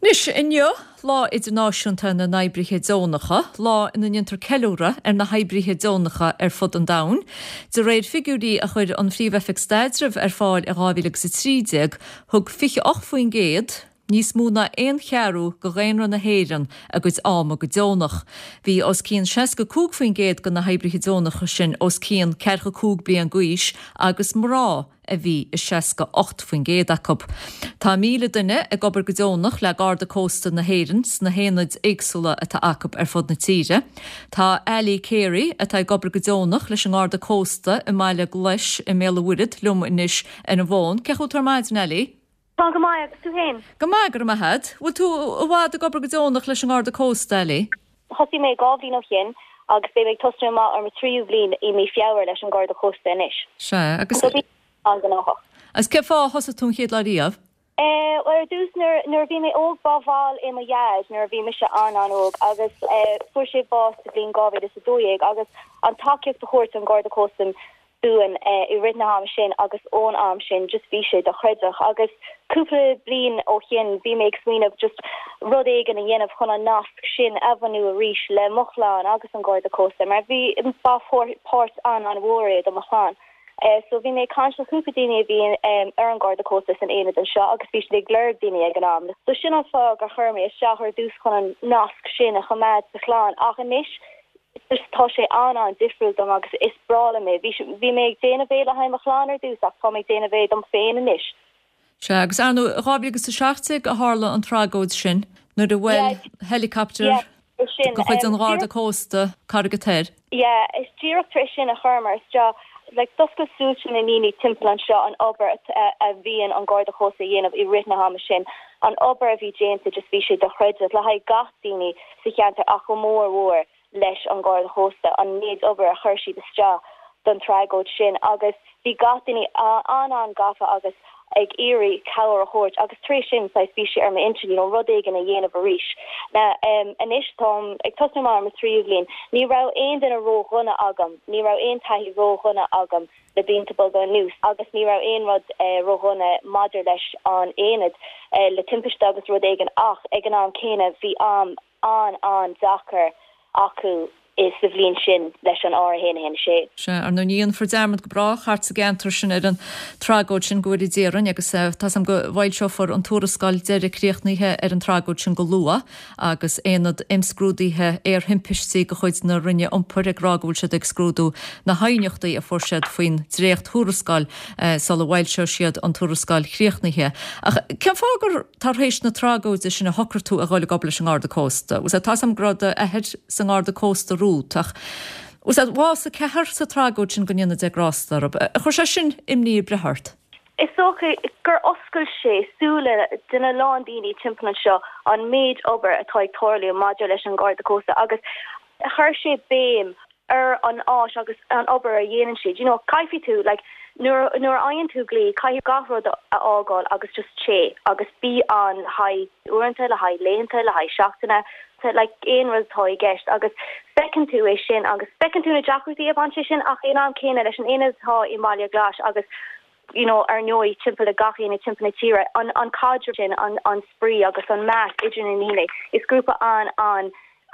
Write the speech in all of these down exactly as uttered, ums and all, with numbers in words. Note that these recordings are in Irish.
Anois inniu lá idirnáisiúnta na n-oibrithe deonacha, lá ina ndéantar ceiliúradh ar na hoibrithe deonacha ar fud an domhain. De réir figiúirí a chuir an Phríomh-Oifig Staidrimh ar fáil i dhá mhíle agus a trí déag, thug fiche ocht faoin gcéad, níos mó ná aon cheathrú de dhaonra na hÉireann a gcuid ama go deonach. Bhí os cionn seasca cúig faoin gcéad de na hoibrithe deonacha sin os cionn ceathracha cúig bliain d'aois agus mná a bhí i seasca ocht faoin gcéad acu. Tá míle duine ag obair go deonach le Garda Cósta na hÉireann sna haonaid éagsúla atá acu ar fud na tíre. Tá Ali Carey, atá ag obair go deonach leis an nGarda Cósta i mBaile Glais i mBéal an Mhuirthead, liom anois ar an bhfón. Cén chaoi a bhfuil tú ar maidin, Ali? Tá go maith, agus tú féin? Go maith, go raibh maith agat. Bhfuil tú i bhfad ag obair go deonach leis an nGarda Cósta, Ali? Thosaigh mé dhá bhliain ó shin agus beidh mé ag tosnú amach ar mo tríú bhliain i mí Feabhra leis an Gharda Cósta anois. Sea, agus. So bím an-ghnóthach. Agus cén fáth a thosaigh tú an chéad lá riamh? Eh, bhuel ar dtús nuair nuair a bhí mé óg ba bhall é mo dhaid nuair a bhí mise an-an-óg agus eh fuair sé bás sa bhliain dhá mhíle is a dó dhéag agus an tacaíocht a thabhairt an Garda Cósta dúinn eh i rith na hama sin agus ón am sin just bhí sé dochreidte agus cúpla bliain ó shin bhí mé ag smaoineamh just rud éigin a dhéanamh chun an nasc sin a bhunú arís le mo chlann agus an Garda Cósta mar bhí ba pháirt an-an-mhór é do mo chlann. So bhí mé ag caint le cúpla daoine a bhí ar an Garda Cósta san aonad anseo agus bhí siad ag lorg daoine ag an am. So sin an fáth gur chuir mé isteach ar dtús chun an nasc sin a choimeád sa chlann ach anois just tá sé an-an-difriúil dom agus is breá liom é. Bhí bhí mé ag déanamh é le haghaidh mo chlann ar dtús ach tá mé ag déanamh é dom féin anois. Sea, agus ar ndóigh, dhá mhíle agus a seacht déag a tharla an tragóid sin nuair a bhuail helicopter de chuid an Gharda Cósta Carraig an Toir. Yeah, is díreach tar éis sin a chuireamar isteach, like, d'oscail súile na ndaoine timpeall anseo an obair a bhíonn an Garda Cósta a dhéanamh i rith na hama sin, an obair a bhí déanta, just bhí sé dochreidte le haghaidh gach daoine sa cheantar ach go mór mhór leis an Gharda Chósta, an méid obair a chuir siad isteach don tragóid sin agus bhí gach duine an-an-gafa agus ag iarraidh cabhair a thabhairt agus tar éis sin saghas bhí sé ar m'intinn you know rud éigin a dhéanamh arís. Now em anois táim ag tosnú amach ar mo thríú bhliain. Ní raibh aon duine ró-dhona agam, ní raibh aon taithí ró-dhona agam le blianta beaga anuas agus ní raibh aon rud eh ró-dhona maidir leis an aonad eh le timpiste agus rud éigin ach ag an am céanna bhí am an-an-deacair acu sa bhliain sin leis an R a haon a haon a sé. Sea, ar ndóigh ní dhéanfar dearmad go brách thart sa gceantar sin ar an tragóid sin go bhfóire Dia orainn agus tá 's agam go bhfoilseofar an tuarascáil deiridh críochnaithe ar an tragóid sin go luath agus Aonad Imscrúdaithe Aerthimpistí de chuid na Roinne Iompair ag rá go bhfuil siad ag scrúdú na haighneachtaí a fuair siad faoin dréacht-thuarascáil sula bhfoilseoidh siad an tuarascáil chríochnaithe. Ach cén fáth gur tar éis na tragóide sin a shocraigh tú a dhul ag obair leis an nGarda Cósta? Tá 's agam go raibh d'athair sa nGarda Cósta romhat ach bhuel bhásaigh ceathrar sa tragóid sin go ndéana Dia grásta orthu. Ar chuir sé sin imní ar bith ort? Is dócha gur oscail sé súile de na lán daoine timpeall anseo an méid obair atá ag tarlú maidir leis an Gharda Cósta agus chuir sé béim ar an áis agus an obair a dhéanann siad. You know, caithfidh tú, like, nuair nuair a fhaigheann tú glao, caithfidh gach rud a fhágáil agus just téigh agus bí ann le haghaidh uaireanta, le haghaidh laethanta, le haghaidh seachtaine, like, aon rud atá i gceist agus feiceann tú é sin agus feiceann tú na deacrachtaí a bhain sé sin ach in am céanna leis an aonad atá i mBaile Glais agus you know, ar ndóigh timpeall le gach aonad timpeall na tíre, an an caidreamh sin, an an spraoi agus an meas idir na ndaoine, is grúpa an an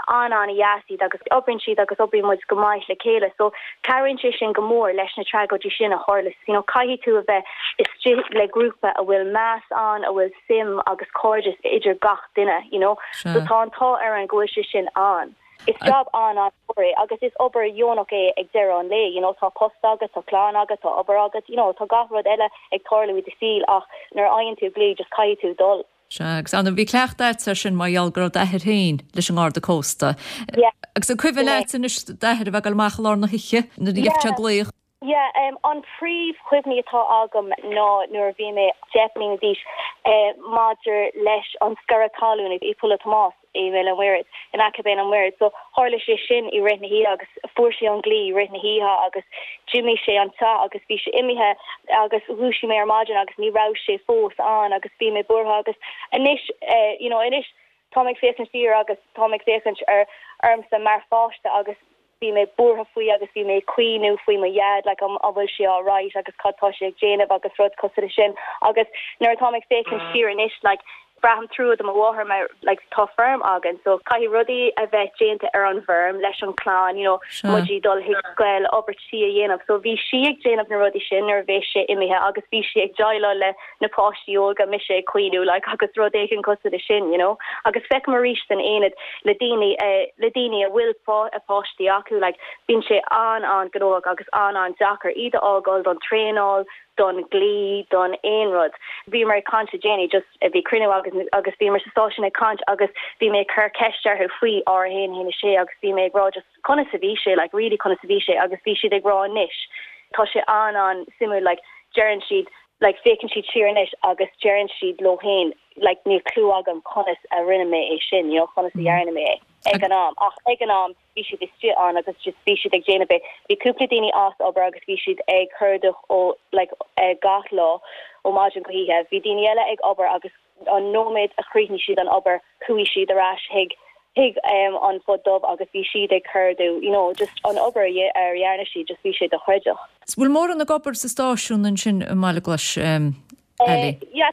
an-an-dheas iad agus oibríonn siad agus oibríonn muid go maith le chéile so cabhraíonn sé sin go mór leis na tragóidí sin a tharla you know caithfidh tú a bheith istigh le grúpa a bhfuil meas ann a bhfuil suim agus cairdeas idir gach duine you know so tá an t-ádh orainn go bhfuil sé sin ann. Is job an-an-mhór é agus is obair dheonach é ag deireadh an lae you know tá post agat tá clann agat tá obair agat you know tá gach rud eile ag tarlú i do shaol ach nuair a fhaigheann tú glao just caithfidh tú dul. Sea, agus ar ndóigh bhí cleachtadh agat air sin mar gheall go raibh d'athair féin leis an nGarda Cósta. Yeah. Agus an cuimhin leat anois d'athair a bheith ag dul amach i lár na hoíche nuair a gheibh sé glaoch? Yeah, um, an príomhchuimhní atá agam ná nuair a bhí mé deich mbliana d'aois eh, maidir leis an sciorradh talún i Poll Thomáis i mBéal an Mhuirthead, in aice Béal an Mhuirthead. So tharla sé sin i rith na hoíche agus fuair sé an glao i rith na hoíche agus d'imigh sé an teach agus bhí sé imithe agus dhúisigh mé ar maidin agus ní raibh sé fós ann agus bhí mé buartha agus anois eh, you know, anois táim ag féachaint siar agus táim ag féachaint ar ormsa mar pháiste agus bhí mé buartha faoi agus bhí mé ag caoineadh faoi mo dhaid like an an bhfuil sé alright agus cad tá sé ag déanamh agus rud cosúil leis sin agus nuair atáim ag féachaint siar anois like Braithim trua do mo mháthair mar like tá feirm againn so caithfidh rudaí a bheith déanta ar an bhfeirm leis an clann you know muid ag dul chuig scoil obair tí a dhéanamh so bhí sí ag déanamh na rudaí sin nuair a bhí sé imithe agus bhí sí ag déileáil le na páistí óga mise ag caoineadh like agus rud éigin cosúil le sin you know agus feicim arís san aonad le daoine uh, le daoine a bhfuil a páistí acu like bíonn sé an an gnóthach agus an an deacair iad a fhágáil don traenáil don glao don aon rud. Bhí mar caint déanaí just bhí cruinniú agus agus bhí mar sa stáisiún ag caint agus bhí mé cur ceist orthu faoi R a haon haon sé agus bhí mé ag rá just conas a bhí sé like really conas a bhí sé agus bhí siad ag rá anois. Tá sé an an suimiúil like deireann siad like féachann siad siar anois agus deireann siad leo féin like níl clue agam conas a rinne mé é sin you know conas a dhearna mé é ag an am ach ag an am bhí siad istigh ann agus just bhí siad ag déanamh é bhí cúpla daoine as obair agus bhí siad ag cuardach ó like uh, gach lá ó maidin go hoíche bhí daoine eile ag obair agus an nóiméad a chríochnaigh siad an obair chuaigh siad ar ais chuig chuig um, an fud dubh agus bhí siad ag cuardach you know just an obair a dhearna siad just bhí sé dochreidte. Bhfuil mórán ag obair sa stáisiún ansin i mBaile Glais um, uh, yeah,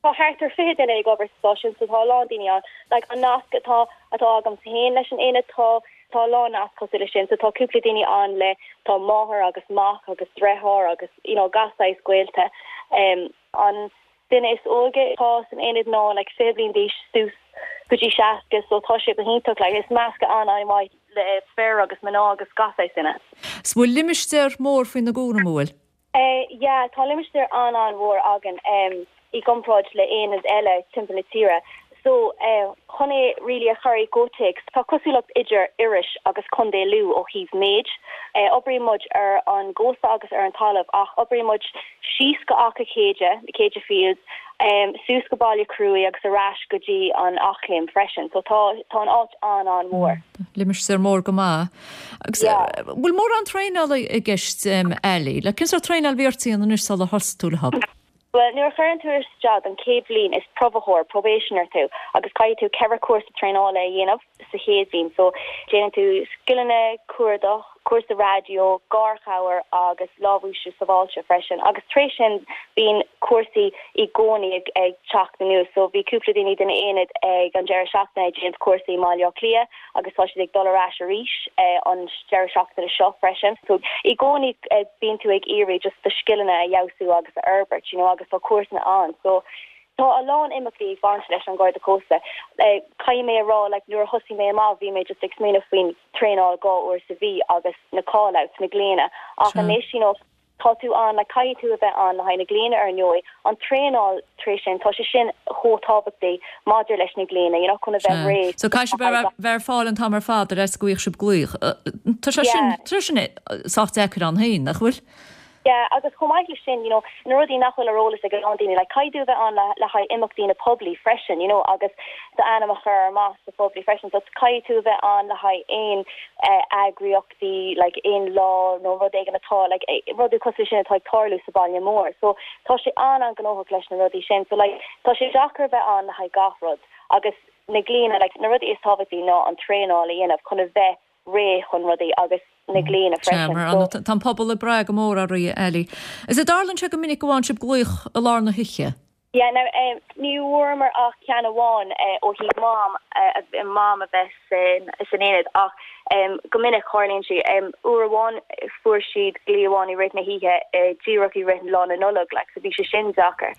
Tá thart ar fiche duine ag obair stáisiún so tá lán daoine ann like an nasc atá atá agam féin leis an aonad tá tá lán nasc cosúil leis sin so tá cúpla daoine ann le tá máthair agus mac agus deartháir agus you know gach saghas gaolta um, an duine is óige tá san aonad ná like fiche bliain d'aois suas go dtí seasca so tá sé go hiontach like is meascadh an an-mhaith le fir agus mná agus gach saghas duine. 'S bhfuil limistéar mór faoina gcúram bhfuil? Uh, yeah, tá limistéar an an mhór againn um, i gcomparáid le aonad eile timpeall na tíre. So uh, chun é really a chur i gcomhthéacs tá cosúlacht idir Iorras agus Contae Lú ó thaobh méid. Uh, Oibríonn muid ar an gcósta agus ar an talamh ach oibríonn muid síos go Achadh Céide, Céide Fields, um, suas go Baile Cruaí agus ar ais go dtí an Eachléim freisin, so tá tá an áit an an mhór. Mm, Limistéar mór go maith. Agus Yeah. bhfuil mórán traenála i gceist um, eile, le cén sórt traenáil a bhí ort anois sular thosaigh tú le hobair. Well, nuair a chuireann tú isteach an chéad bhliain is probaitheoir probationer tú agus caithfidh tú ceithre cúrsa traenála a dhéanamh sa chéad bhliain so déanann tú scileanna cuardach cúrsa raidió garchabhair agus lámhúisiú sábháilte freisin agus tar éis sin bíonn cúrsaí i gcónaí ag, ag teacht anuas so bhí cúpla daoine den aonad ag an deireadh seachtaine ag déanamh cúrsaí i Baile Átha Cliath agus tá siad ag dul ar ais arís eh, an deireadh seachtaine seo freisin so i gcónaí eh, bíonn tú ag iarraidh just do scileanna a fheabhsú agus a fhorbairt you know agus tá cúrsaí ann so Tá a lán imeachtaí ag baint leis an Garda Cósta. Eh, Caithfidh mé a rá like, nuair a thosaigh mé amach bhí mé just ag smaoineamh faoin traenáil dhá uair sa mhí agus na callouts na glaonna ach Sure. anois you know, tá tú an le caithfidh tú a bheith an le haghaidh na glaonna ar ndóigh an traenáil tar éis sin tá sé sin chomh tábhachtach maidir leis na glaonna you know, chun a bheith réidh. So caithfidh sibh bheith ar fáil an t-am ar fad ar go bhfuil sibh glaoch. Tá sé sin Yeah. tá sin sách deacair ann féin, nach bhfuil? Yeah, agus chomh maith leis sin, you know, na rudaí nach bhfuil ar eolas ag an daoine, like caithfidh tú bheith an le, le haghaidh imeachtaí na poiblí freisin, you know, agus d'ainm a chur amach sa phoiblí freisin, so caithfidh tú bheith an le haghaidh aon uh, eagraíochtaí, like aon lá nó rud éigin atá, like eh, rudaí cosúil sin atá ag tarlú sa baile mór. So tá sé an an gnóthach leis na rudaí sin, so like tá sé deacair bheith an le haghaidh gach rud agus na glaonna like na rudaí is tábhachtaí ná an traenáil a dhéanamh chun a bheith réidh chun rudaí agus na glaonna freisin. Mar So- tá an pobal ag brath go mór oraibh Ellie. Is é dtarlaíonn sé go minic go bhfaigheann sibh glaoch i lár na hoíche? Yeah, now um, ní bhfuaireamar ach ceann amháin uh, ó thaobh mam uh, mam a bheith san san aonad ach um, go minic tarlaíonn sé um, uair amháin fuair siad glao amháin i rith na hoíche uh, díreach i rith lá na Nollag like, so bhí sé sin deacair.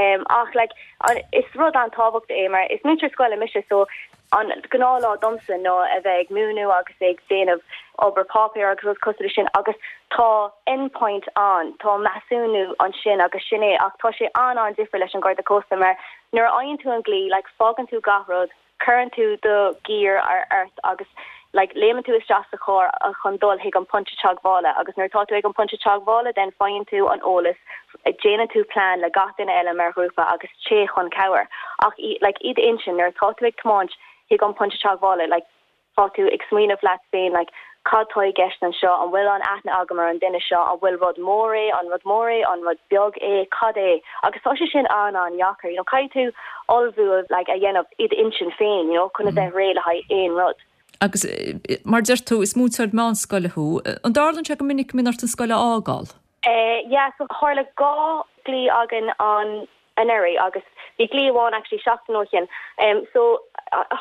Um, ach like, an, is rud an-tábhachtach é mar is múinteoir scoile mise so an gnáthlá domsa ná a bheith ag múineadh agus ag déanamh obair páipéir agus rud cosúil leis sin agus tá endpoint an tá measúnú ansin agus sin é ach tá sé an an difriúil leis an Garda Cósta mar nuair a fhaigheann tú an glao like fágann tú gach rud cuireann tú do gear ar ort agus like léimeann tú isteach sa charr a chun dul chuig an pointe teagmhála agus nuair tá tú ag an pointe teagmhála den faigheann tú an eolas déanann tú plean le gach duine eile mar ghrúpa agus téigh chun cabhair ach i, like i d'intinn nuair tá tú ag tiomáint chuig an pointe teagmhála like tá tú ag smaoineamh leat féin like cad tá i gceist anseo an bhfuil an aithne agam ar an duine seo an bhfuil rud mór é an rud mór é an rud beag é cad é agus tá sé sin an an deacair you know caithfidh tú ullmhú like a dhéanamh i d'intinn féin you know chun a bheith réidh le haghaidh aon rud. Agus eh, mar deir tú is múinteoir meánscoile thú, an dtarlaíonn sé go minic go mbíonn ort an scoil a fhágáil? Uh, yeah, so tharla dhá glao againn an anuraidh agus bhí glao amháin actually seachtain ó shin um, so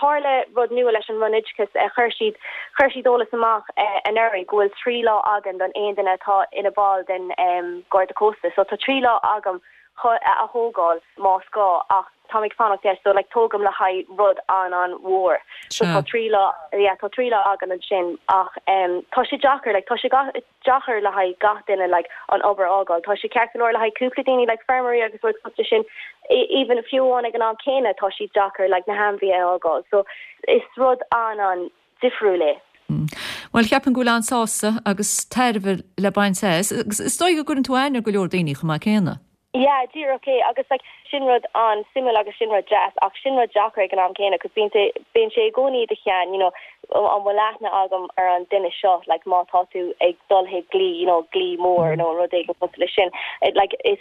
tharla rud nua leis an Roinn Oideachais uh, chuir siad chuir siad eolas amach uh, anuraidh go bhfuil trí lá againn don aon duine atá ina ball den um, Garda Cósta so tá trí lá agam a thógáil más gá ach tá ag fanacht yeah, so like tógaim le haghaidh rud an an-mhór so tá trí lá yeah, tá trí lá agam ansin ach um, tá sé deacair like, tá sé deacair le haghaidh gach duine like, an obair a fhágáil tá sé ceart le haghaidh cúpla daoine like feirmeoirí agus rud sin e, even fiú amháin ag an am céanna tá sé deacair like, na hainmhithe a fhágáil so is rud an an difriúil é. Mm. Well ceapaim go bhfuil an-sásamh agus tairbhe le baint as agus is dóigh go gcuireann tú aithne go leor daoine chomh maith céanna. Yeah, díreach é agus like, sin rud an-suimiúil agus sin rud deas ach sin rud deacair ag an am céanna cos bíonn bíonn sé i gcónaí i do cheann you know, an bhfuil aithne agam ar an duine seo like, má tá tú ag dul chuig glao you know, glao mór mm. nó rud éigin le sin It, like, is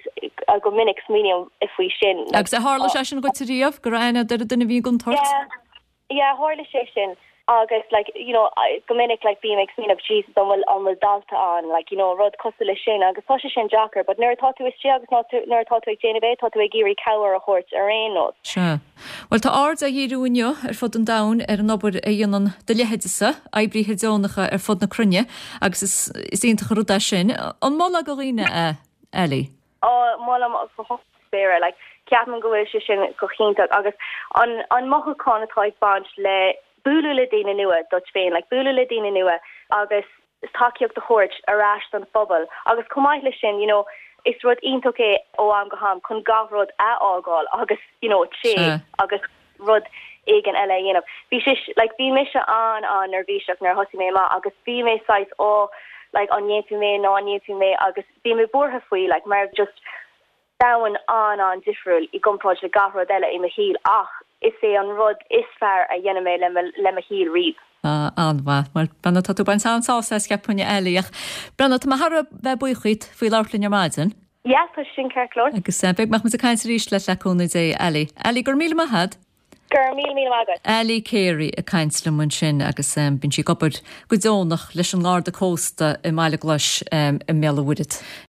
go minic smaoiním faoi sin. Like, agus tharla sé sin duit riamh go raibh aithne ar duine bhí gon tort? Yeah, yeah tharla sé sin. agus like you know I, go minic like bím ag smaoineamh Jesus an bhfuil an bhfuil dalta ann like you know rud cosúil le sin agus tá sé sin deacair but nuair tá tú istigh agus nuair tá tú ag déanamh é tá tú ag iarraidh cabhair a thabhairt ar aon nós. Sea. Well tá aird á dhíriú inniu ar fud an domhain ar an obair a dhéanann do leithéidese oibrithe deonacha ar fud na cruinne agus is, is iontach rud é sin an molfá do dhaoine é Ali. Ó molaim go spéire like ceapaim go bhfuil sé sin go hiontach agus an an mothúchán atá ag baint le bualadh le daoine nua duit féin like bualadh le daoine nua agus tacaíocht a thabhairt ar ais don phobal agus chomh maith le sin you know is rud iontach é ó am go ham chun gach rud a fhágáil agus you know sé agus rud éigin eile a dhéanamh. Bhí sé like bhí mise an an neirbhíseach nuair thosaigh mé amach agus bhí mé saghas ó like an ndéanfaidh mé ná ndéanfaidh mé agus bhí mé buartha faoi like mar just domhan an an difriúil i gcomparáid le gach rud eile i mo shaol ach is é an rud is fearr a dhéanfaidh mé le le mo shaol riamh. Ah, an-mhaith well Brenna tá tú ag baint an-sásamh as ceapaim Ali ach Brenna tá mé thar a bheith buíoch díot faoi labhairt linn ar maidin. Ja, tá sin ceart go leor. Agus eh, beidh muid ag caint arís le le cúnamh Dé Ali. Ali gur míle maith agat? Gur míle míle maith agat. Ali Carey ag caint liom ansin agus um, bíonn sí ag obair go deonach leis an nGarda Cósta i mBaile Glais um, i mBéal an Mhuirthead.